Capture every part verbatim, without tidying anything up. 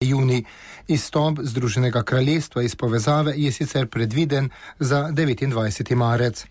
junij. Izstop Združenega kraljestva iz povezave je sicer predviden za devetindvajseti marec.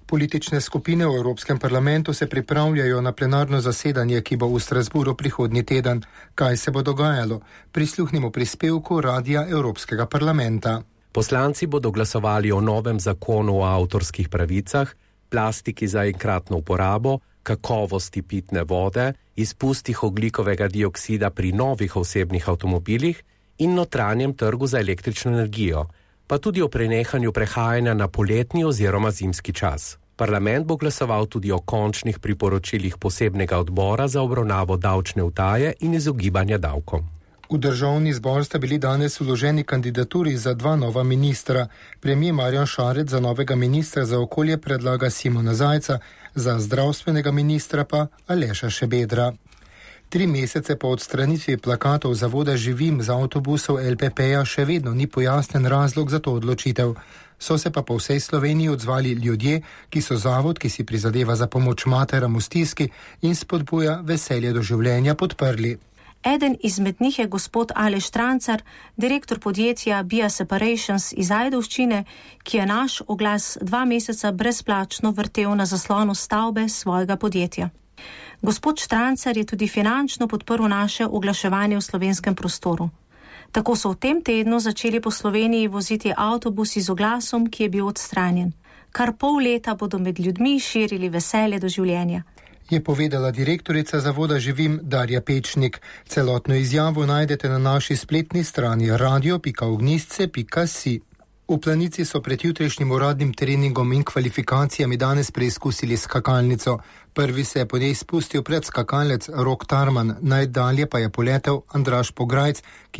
Politične skupine v Evropskem parlamentu se pripravljajo na plenarno zasedanje, ki bo v Strasburu prihodnji teden. Kaj se bo dogajalo? Prisluhnimo prispevku Radia Evropskega parlamenta. Poslanci bodo glasovali o novem zakonu o avtorskih pravicah, plastiki za enkratno uporabo, kakovosti pitne vode, izpustih ogljikovega dioksida pri novih osebnih avtomobilih in notranjem trgu za električno energijo, pa tudi o prenehanju prehajanja na poletni oziroma zimski čas. Parlament bo glasoval tudi o končnih priporočilih posebnega odbora za obravnavo davčne utaje in izogibanja davkom. V državni zbor sta bili danes vloženi kandidaturi za dva nova ministra. Premijer Marjan Šarec za novega ministra za okolje predlaga Simona Zajca, za zdravstvenega ministra pa Aleša Šabedra. Tri mesece po odstranitvi plakatov zavoda Živim z avtobusov L P P-ja še vedno ni pojasnen razlog za to odločitev. So se pa po vsej Sloveniji odzvali ljudje, ki so zavod, ki si prizadeva za pomoč materam v stiski in spodbuja veselje do življenja, podprli. Eden izmed njih je gospod Aleš Trancar, direktor podjetja Bia Separations iz Ajdovščine, ki je naš oglas dva meseca brezplačno vrtel na zaslonu stavbe svojega podjetja. Gospod Štrancar je tudi finančno podprl naše oglaševanje v slovenskem prostoru. Tako so v tem tednu začeli po Sloveniji voziti avtobusi z oglasom, ki je bil odstranjen. Kar pol leta bodo med ljudmi širili veselje do življenja. Je povedala direktorica zavoda Živim Darja Pečnik. Celotno izjavo najdete na naši spletni strani radio pika ognjišče pika si. V Planici so pred jutrišnjim uradnim treningom in kvalifikacijami danes preizkusili skakalnico. Prvi se je po njej spustil predskakalec Rok Tarman, najdalje pa je poletel Andraž Pograjc, ki